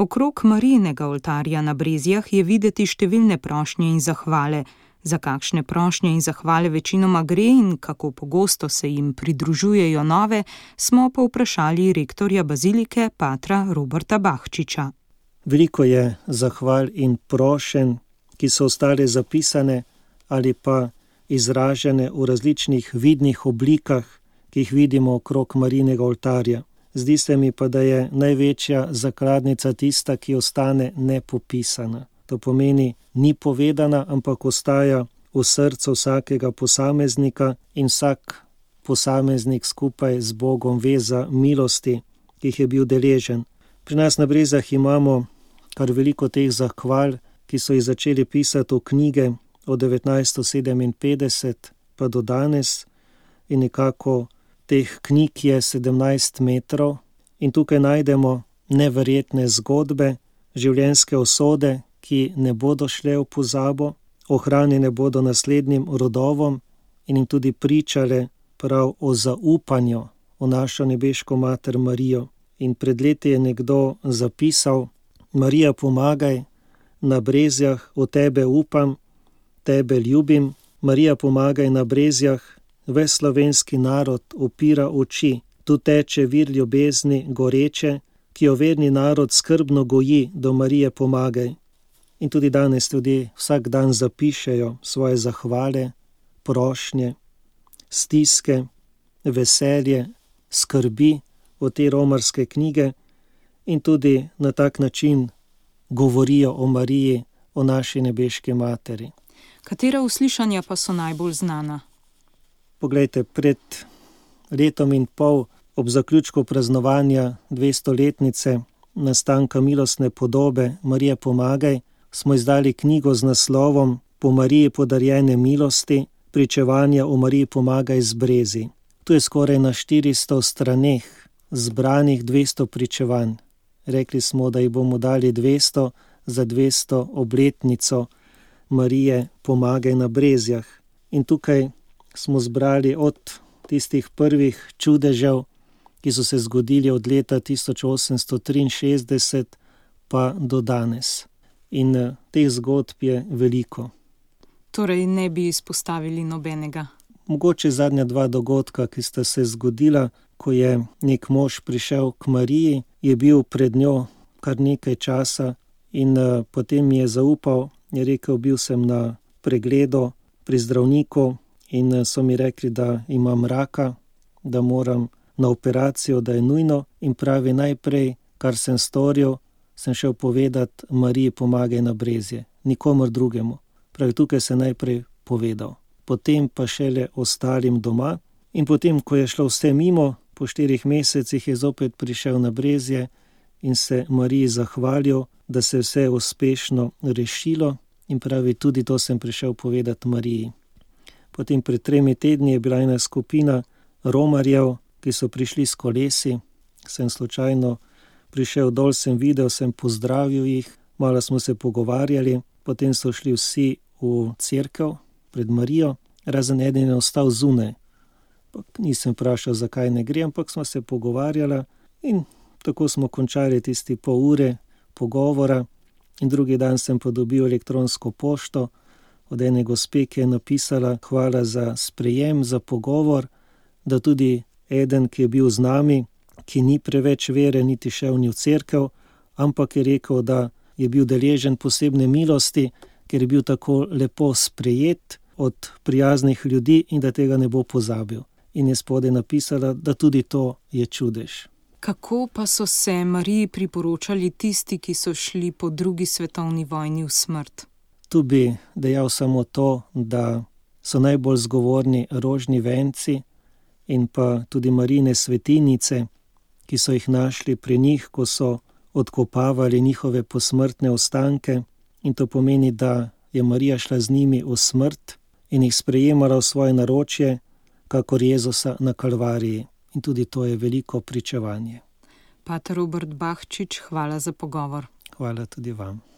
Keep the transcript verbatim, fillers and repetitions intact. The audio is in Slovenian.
Okrog Marijinega oltarja na Brezjah je videti številne prošnje in zahvale. Za kakšne prošnje in zahvale večinoma gre in kako pogosto se jim pridružujejo nove, smo povprašali rektorja bazilike patra Roberta Bahčiča. Veliko je zahval in prošenj, ki so ostale zapisane ali pa izražene v različnih vidnih oblikah, ki jih vidimo okrog Marijinega oltarja. Zdi se mi pa, da je največja zakladnica tista, ki ostane nepopisana. To pomeni, ni povedana, ampak ostaja v srcu vsakega posameznika in vsak posameznik skupaj z Bogom ve za milosti, ki jih je bil deležen. Pri nas na Brezjah imamo kar veliko teh zahval, ki so jih začeli pisati v knjige od devetnajststo sedeminpetdeset pa do danes in nekako teh knjig je sedemnajst metrov in tukaj najdemo neverjetne zgodbe, življenjske usode, ki ne bodo šle v pozabo, ohranjene bodo naslednjim rodovom in jim tudi pričale prav o zaupanju v našo nebeško mater Marijo. In pred leti je nekdo zapisal: Marija, pomagaj, na Brezjah v tebe upam, tebe ljubim. Marija, pomagaj, na Brezjah ves slovenski narod upira oči. Tu teče vir ljubezni goreče, ki jo verni narod skrbno goji, do Marije pomagaj. In tudi danes ljudje vsak dan zapišejo svoje zahvale, prošnje, stiske, veselje, skrbi v te romarske knjige in tudi na tak način govorijo o Mariji, o naši nebeški materi. Katera uslišanja pa so najbolj znana? Poglejte, pred letom in pol ob zaključku praznovanja dvestoletnice nastanka milostne podobe Marije pomagaj smo izdali knjigo z naslovom Po Mariji podarjene milosti, pričevanja o Mariji pomagaj z Brezij. Tu je skoraj na štiristo straneh zbranih dvesto pričevanj. Rekli smo, da jih bomo dali dvesto za dvesto obletnico Marije pomagaj na Brezjah. In tukaj smo zbrali od tistih prvih čudežev, ki so se zgodili od leta tisoč osemsto triinšestdeset pa do danes. In teh zgodb je veliko. Torej ne bi izpostavili nobenega? Mogoče zadnja dva dogodka, ki sta se zgodila, ko je nek mož prišel k Mariji, je bil pred njo kar nekaj časa in uh, potem mi je zaupal, je rekel, bil sem na pregledu pri zdravniku in uh, so mi rekli, da imam raka, da moram na operacijo, da je nujno in pravi, najprej, kar sem storil, sem šel povedati Mariji pomagaj na Brezje, nikomor drugemu. Pravi, tukaj se najprej povedal. Potem pa šele ostalim doma in potem, ko je šlo vse mimo, po štirih mesecih je zopet prišel na Brezje in se Mariji zahvalil, da se je vse uspešno rešilo in pravi, tudi to sem prišel povedati Mariji. Potem pred tremi tedni je bila ena skupina romarjev, ki so prišli s kolesi, sem slučajno prišel dol, sem videl, sem pozdravil jih, malo smo se pogovarjali, potem so šli vsi v cerkev pred Marijo, razen eden je ostal zunaj. Nisem vprašal, zakaj ne gre, ampak smo se pogovarjali in tako smo končali tisti pol ure pogovora in drugi dan sem pa dobil elektronsko pošto od ene gospe, ki je napisala hvala za sprejem, za pogovor, da tudi eden, ki je bil z nami, ki ni preveč vere, niti šel ni v cerkev, ampak je rekel, da je bil deležen posebne milosti, ker je bil tako lepo sprejet od prijaznih ljudi in da tega ne bo pozabil. In je spodaj napisala, da tudi to je čudež. Kako pa so se Mariji priporočali tisti, ki so šli po drugi svetovni vojni v smrt? Tu bi dejal samo to, da so najbolj zgovorni rožni venci in pa tudi Marijine svetinjice, ki so jih našli pri njih, ko so odkopavali njihove posmrtne ostanke. In to pomeni, da je Marija šla z njimi v smrt in jih sprejemala v svoje naročje, kakor Jezusa na Kalvariji. In tudi to je veliko pričevanje. Pater Robert Bahčič, hvala za pogovor. Hvala tudi vam.